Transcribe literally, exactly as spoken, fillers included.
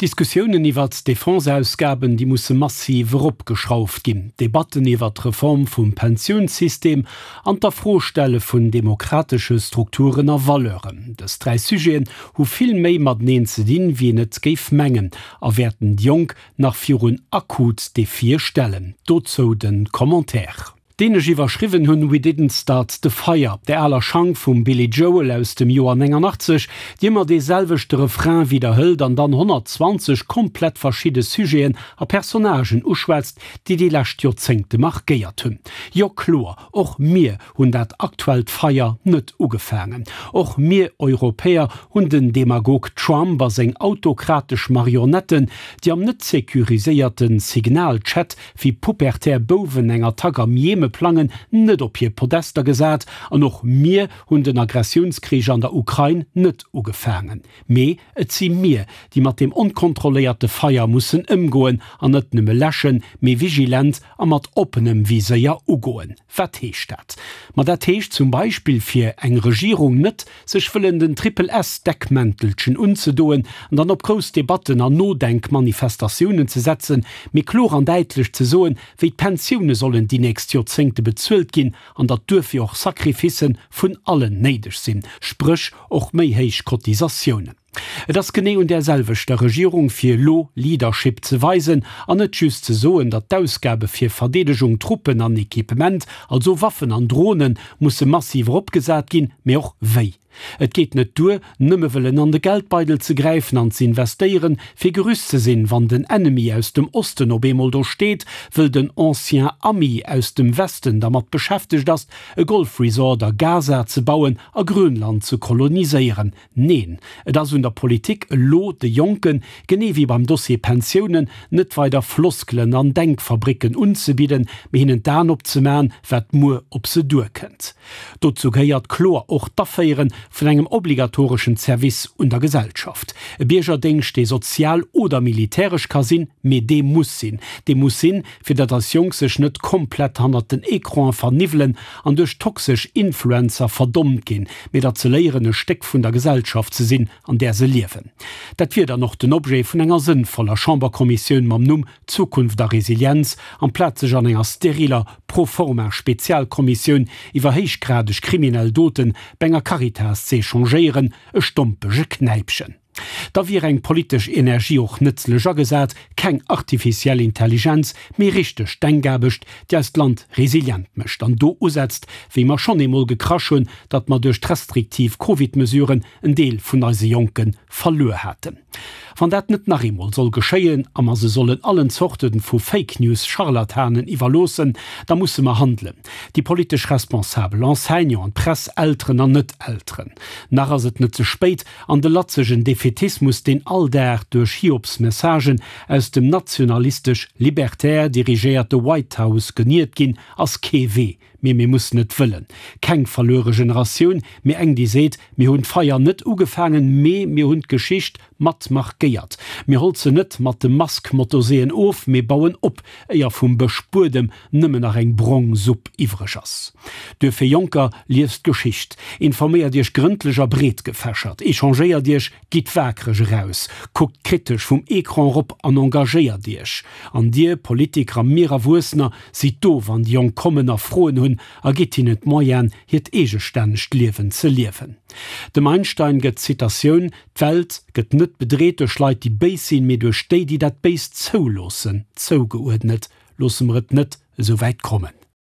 D'Diskussiounen iwwert d'Defenseausgaben, déi musse massiv eropgeschrauft ginn, d'Debatten iwwert d'Reform vum Pensiounssystem an d'Afrostelle vun demokratesche Strukturen a Valeuren. Dës dräi Sujeten hu vill méi mateneen ze dinn, wéi een et géif mengen, a wäerten déi Jonk nach virun akut Defie stellen. Dozou de Commentaire. Deen ech iwwerschriwwen hunn We Didn't Start the Fire, der aler Schank vum Billy Joel aus dem Joer néngannachtzeg, déi ëmmer dee selwechte Refrain widderhëlt an dann honnertzwanzeg komplett verschidde Sujeten a Personnagen uschwätzt, déi déi lescht Joerzéngte markéiert hunn. Jo kloer, och mir hunn dat aktuellt Feier net ugefaangen. Och mir Europäer hunn den Demagog Trump a seng autokratesch Marionetten, déi am net securiséierte Signal-Chat wéi pubertär Bouwen eng Attack am Jemen plangen, net op hir Podester gesat an och mir hunn den Agressiounskrich an der Ukrain net ugefaangen. Mee et si mir, déi mat deem onkontrolléierte Feier mussen ëmgoen an net nëmme läschen, mee vigilent a mat oppenem Viséier ugoen. Wat heescht dat? Ma dat heescht zum Beispill fir eng Regierung net, sech wëllen den Triple-S-Deckmäntelchen unzedoen an dann op grouss Debatten an Nodenkmanifestatiounen ze setzen, mee kloer an däitlech ze soen, wéi d'Pensioune sollen déi nächst Joerzéngte bezuelt ginn an datt duerfir och Sacrificë vun allen néideg sinn, spréch och méi héich Cotisatiounen. Et ass genee un där selwechter Regierung, fir elo Leadership ze weisen an net just ze soen, datt d'Ausgabe fir Verdeedegung, Truppen an Equipement, also Waffen an Dronen, musse massiv eropgesat ginn, mee och wéi. Et geet net duer, nëmme wëllen an de Geldbeidel ze gräifen an ze investéieren, fir gerüst ze sinn, wann den Ennemi aus dem Osten op eemol do steet, wëll den ancien Ami aus dem Westen dermat beschäftegt ass, e Golfresort a Gaza ze bauen a Grönland ze koloniséieren. Neen, et ass un der Politik elo de Jonken, genee wéi beim Dossier Pensiounen, net weider Floskelen an Denkfabricken unzebidden, mee hinnen d'Aen opzemaen, wat muer op se duerkënnt. Dozou gehéiert kloer och d'Aféiere vun engem obligatoreschen Service un der Gesellschaft. E Biergerdéngscht, dee sozial oder militäresch ka sinn, mee dee muss sinn. Dee muss sinn, fir datt eis Jonk sech net komplett hannert den Ecranen verniwwelen an duerch toxesch Influencer verdommt ginn, mee datt se léieren, e Stéck vun der Gesellschaft ze sinn, an där se liewen. Dat wier dann och den Objet vun enger sënnvoller Chamberkommissioun mam Numm Zukunft a Resilienz, amplaz sech an enger steriler Pro-forma-Spezialkommissioun iwwer héichgradeg kriminell Doten bei enger Caritas z'échangéieren, e stompege Knäipchen. Da wier eng politesch Energie och nëtzlech agesat, keng artificiell Intelligenz, mee richteg Denkaarbecht, déi eist Land resilient mécht an do usetzt, wéi mer schonn eemol gekrasch hunn, datt mer duerch d'restriktiv Covid-Mesuren en Deel vun eise Jonke verluer haten. Wann dat net nach eemol soll geschéien a mer se sollen allen Zorte vu Fake-News-Scharlatanen iwwerloossen, da musse mer handelen, déi politesch Responsabel, Enseignanten, Press, Elteren an Net-Elteren. Nach ass et net ze spéit an de latzegen Defaitismus, deen all Dag duerch Hiobsmessagen aus dem nationalistesch-libertär dirigéierte White House geniert ginn, ass kee Wee. Mee mir mussen et wëllen. Keng verluere Generatioun, mee eng déi seet, Mir hunn d'Feier net ugefaangen, mee mir hunn d'Geschicht mat markéiert. Mir holzen net mat de Musk-Motoseeën of, mee bauen op, éier vum Bëschbuedem nëmmen nach eng brong Supp iwwreg ass. Duerfir, Jonker, liest d'Geschicht, informéiert iech grëndlech a breetgefächert, echangéiert iech, gitt waakreg eraus, kuckt kritesch vum Ecran erop an engagéiert iech. An dir, Politiker a mir Erwuessener, sidd do, wann déi Jonk kommen a Froen hunn a gitt hinnen d'Moyenen, hiert eegestännegt Liewen ze liewen. Dem Einstein gëtt d'Zitatioun, D'Welt gëtt net bedreet duerch Leit, déi béis sinn, mee duerch déi, déi dat Béist zouloossen, zougeuerdnet. Loosse mer et net esou wäit kommen.